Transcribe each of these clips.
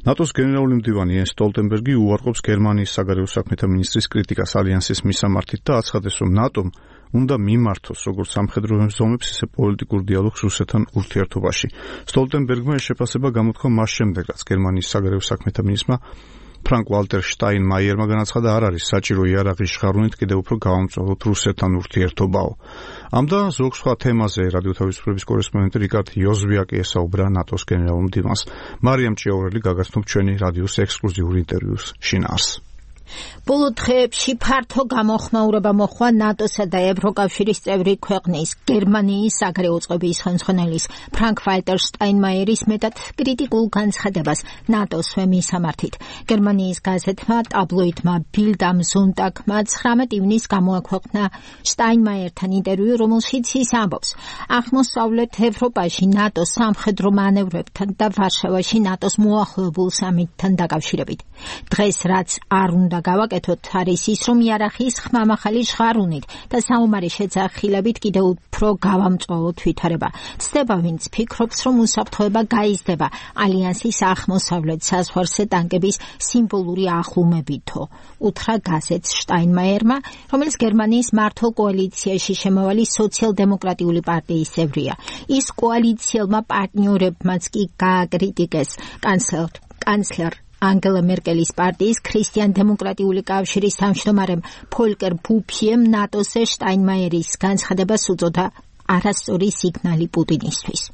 ნატოს გენერალური მდივანი იენს სტოლტენბერგი უარყოფს გერმანიის საგარეო საქმეთა მინისტრის კრიტიკას ალიანსის მისამართით და აცხადებს, რომ ნატომ უნდა მიმართოს როგორც სამხედრო ზომებს, ისე პოლიტიკურ დიალოგს რუსეთთან ურთიერთობაში. სტოლტენბერგმა ეს შეფასება გამოთქვა მას შემდეგ, რაც გერმანიის საგარეო საქმეთა მინისტრმა ფრანკ ვალტერ შტაინმაიერმა განაცხადა, არ არის საჭირო იარაღის შხარუნით კიდევ უფრო გავამწვავოთ რუსეთთან ურთიერთობაო. ამ და ზოგ სხვა თემაზე რადიო თავისუფლების კორესპონდენტი რიკარდ იოზვიაკი ესაუბრა ნატოს გენერალურ მდივანს. მარიამ ჭიაურელი გაგაცნობ ჩვენი რადიოს ექსკლუზიურ ინტერვიუს შინაარს. ბოლო დღეებში ფართო გამოხმაურება მოხდა ნატოსა და ევროკავშირის წევრი ქვეყნის გერმანიის საგარეო წყობის ხელმძღვანელის ფრანკ ვალტერ შტაინმაიერის მეტად კრიტიკულ განცხადებას ნატოს მისამართით. გერმანიის გაზეთმა ტაბლოიდმა ბილდ ამ ზონტაგმა 19 ივნისს გამოაქვეყნა შტაინმაიერთან ინტერვიუ, რომელშიც ის ამბობს, აღმოსავლეთ ევროპაში ნატოს სამხედრო მანევრებთან და ვარშავაში ნატოს მოახლოებულ სამიტთან დაკავშირებით. დღეს რაც არ უნდა გავაკეთოთ არის ის, რომ იარაღის ხმამაღალი ჟღარუნით და საომარი შეძახილებით კიდევ უფრო გავამწვავოთ ვითარება. ცდება ვინც ფიქრობს, რომ უსაფრთხოება გაიზრდება ალიანსის აღმოსავლეთ საზღვარზე ტანკების სიმბოლური ახლუმებითო. უთხრა გაზეთს შტაინმაიერმა, რომელიც გერმანიის მართლ კოალიციაში შემავალი სოციალ-დემოკრატიული პარტიის წევრია. ის კოალიციელმა პარტნიორებმაც კი გააკრიტიკეს კანცლერ ანგელა მერკელის პარტიის ქრისტიან-დემოკრატიული კავშირის თავმჯდომარემ ფოლკერ ბუფიემ ნატოზე შტაინმაიერის განცხადებას უწოდა არასწორი სიგნალი პუტინისთვის.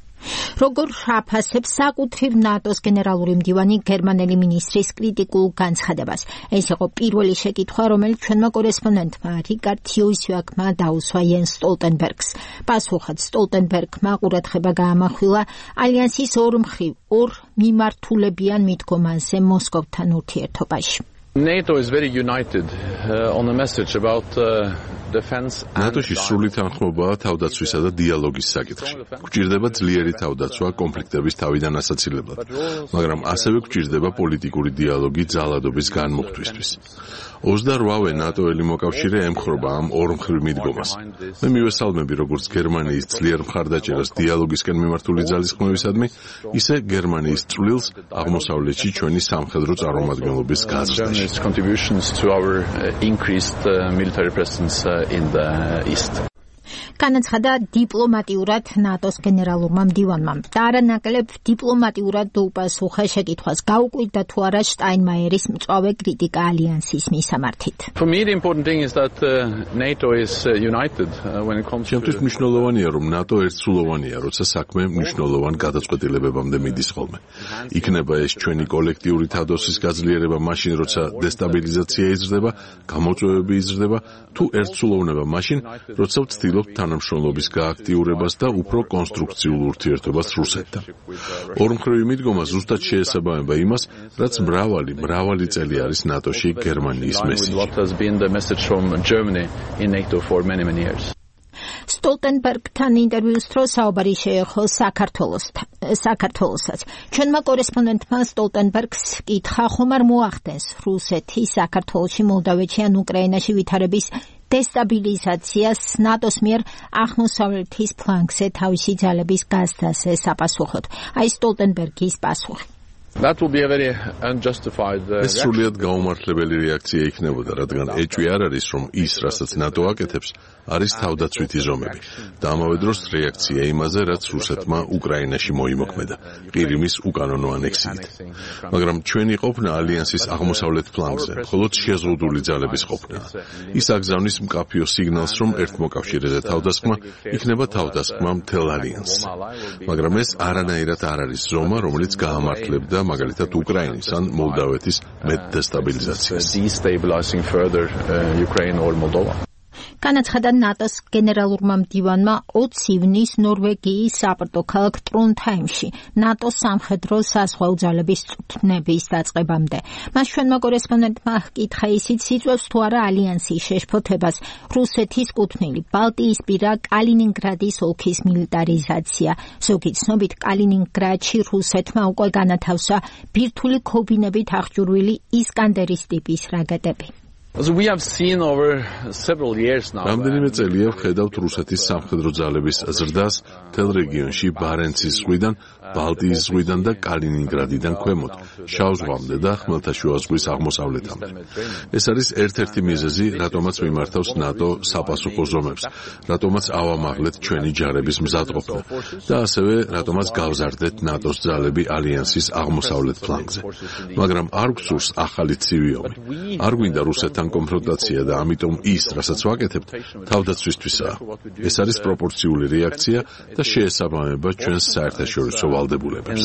როგორ აფასებს საკუთრივ ნატოს გენერალური მდივანი გერმანელი მინისტრის კრიტიკულ განცხადებას? ეს იყო პირველი შეკითხვა, რომელიც ჩვენმა კორესპონდენტმა რიკარდ იოზვიაკმა დაუსვა იენს სტოლტენბერგს. პასუხად სტოლტენბერგმა ყურადღება გაამახვილა ალიანსის ორ მიმართულებიან მიდგომაზე მოსკოვთან ურთიერთობაში. NATO is very united on a message about defense. ნატოში სრული თანხმობაა თავდაცვისა და დიალოგის საკითხში. გვჭირდება ძლიერი თავდაცვა კონფლიქტების თავიდან ასაცილებლად, მაგრამ ასევე გვჭირდება პოლიტიკური დიალოგი ძალადობის განმუხტვისთვის. 28-ვე ნატოელი მოკავშირე ემხრობა ამ ორმხრივ მიდგომას. მე მივესალმები როგორც გერმანიის ძლიერ მხარდაჭერას დიალოგისკენ მიმართული ძალისხმევისადმი, ისე გერმანიის წვლილს აღმოსავლეთში ჩვენი სამხედრო წარმომადგენლობის გაზრდაში. Contributions to our increased military presence in the east. განაცხადა დიპლომატიურად ნატოს გენერალურმა მდივანმა და არანაკლებ დიპლომატიურად დაუპასუხა შეკითხვას, გაუკვირდა თუ არა შტაინმაიერის მწვავე კრიტიკა ალიანსის მისამართით. For me the important thing is that NATO is united when it comes to ჩემთვის მნიშვნელოვანია, რომ ნატო ერთსულოვანია, როცა საქმე მნიშვნელოვან გადაწყვეტილებებამდე მიდის ხოლმე. იქნება ეს ჩვენი კოლექტიური თავდაცვის გაძლიერება მაშინ, როცა დესტაბილიზაცია იზრდება, გამოწვევები იზრდება, თუ ერთსულოვნება მაშინ, როცა ვცდილობთ თანამშრომლობის გააქტიურებას და უფრო კონსტრუქციულ ურთიერთობას რუსეთთან. ორმხრივი მიდგომა ზუსტად შეესაბამება იმას, რაც მრავალი წელი არის ნატოში გერმანიის მესიჯი. სტოლტენბერგთან ინტერვიუს დროს საუბარი შეეხო საქართველოსაც. ჩვენმა კორესპონდენტმა სტოლტენბერგს კითხა, ხომ არ მოახდენს რუსეთის საქართველოში, მოლდავეთში ან უკრაინაში ვითარების დესტაბილიზაციას ნატოს მიერ აღმოსავლეთის ფლანგზე თავისი ძალების გაზრდაზე საპასუხოდ. აი სტოლტენბერგის პასუხი. That will be a very unjustified ეს სრულიად გაუმართლებელი რეაქცია იქნებოდა, რადგან ეჭვი არ არის, რომ ის, რასაც ნატო აკეთებს, არის თავდაცვითი ზომები და ამავე დროს რეაქცია იმაზე, რაც რუსეთმა უკრაინაში მოიმოქმედა, ყირიმის უკანონო ანექსიით. მაგრამ ჩვენი ყოფნა ალიანსის აღმოსავლეთ ფლანგზე მხოლოდ შეზღუდული ძალების ყოფნა. ის აგზავნის მკაფიო სიგნალს, რომ ერთმოკავშირეზე თავდასხმა იქნება თავდასხმა მთელ ალიანსს. მაგრამ ეს არანაირად არ არის ზომა, რომელიც გაამართლებდა მაგალითად უკრაინის ან მოლდავეთის მეტ დესტაბილიზაციას. განაცხადა ნატოს გენერალურმა მდივანმა 20 ივნისს ნორვეგიის საპორტო ქალაქ ტრონჰაიმში ნატოს სამხედრო საზღვაო ძალების წვრთნების დაწყებამდე. მას ჩვენმა კორესპონდენტმა ჰკითხა, ისიც იწვევს თუ არა ალიანსის შეშფოთებას რუსეთის კუთვნილი ბალტიისპირა კალინინგრადის ოლქის მილიტარიზაცია. ზოგი ცნობით კალინინგრადში რუსეთმა უკვე განათავსა ბირთვული ქობინებით აღჭურვილი ისკანდერის ტიპის რაკეტები. რამდენიმე წელია ვხედავთ რუსეთის სამხედრო ძალების ზრდას მთელ რეგიონში ბარენცის ზღვიდან ბალტიის ზღვიდან და კალინინგრადიდან ქვემოთ, შავ ზღვამდე და ხმელთაშუა ზღვის აღმოსავლეთამდე. ეს არის ერთ-ერთი მიზეზი, რატომაც მიმართავს ნატო საპასუხო ზომებს, რატომაც ავამაღლეთ ჩვენი ჯარების მზადყოფნა და ასევე რატომაც გავზარდეთ ნატოს ძალები ალიანსის აღმოსავლეთ ფლანგზე. მაგრამ არ გვსურს ახალი ცივი ომი. არ გვინდა რუსეთთან კონფრონტაცია და ამიტომ ის, რასაც ვაკეთებთ, თავდაცვისთვისაა. ეს არის პროპორციული რეაქცია და შეესაბამება ჩვენს საერთაშორისო ვალდებულებებს.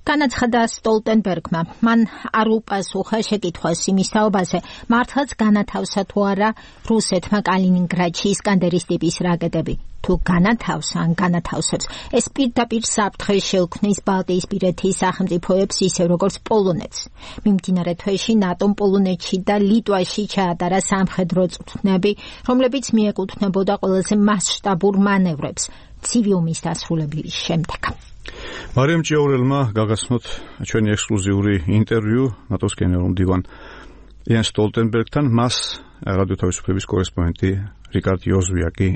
განაცხადა სტოლტენბერგმა, მან არ უპასუხა შეკითხვას იმის თაობაზე, მართლაც განათავსა თუ არა რუსეთმა კალინინგრადში ისკანდერის ტიპის რაკეტები. თუ განათავსა ან განათავსებს, ეს პირდაპირ საფრთხეს შეუქმნის ბალტიისპირეთის სახელმწიფოებს ისე როგორც პოლონეთს. მიმდინარე თვეში ნატომ პოლონეთში და ლიტვაში ჩაატარა სამხედრო წვრთნები, რომლებიც მიეკუთვნებოდა ყველაზე მასშტაბურ მანევრებს ცივი ომის დასრულების შემდეგ. მარიამ ჭიაურელმა გაგაცნოთ ჩვენი ექსკლუზიური ინტერვიუ ნატოს გენერალურ მდივან იან სტოლტენბერგთან, მას რადიო თავისუფლების კორესპონდენტი რიკარდ იოზვიაკი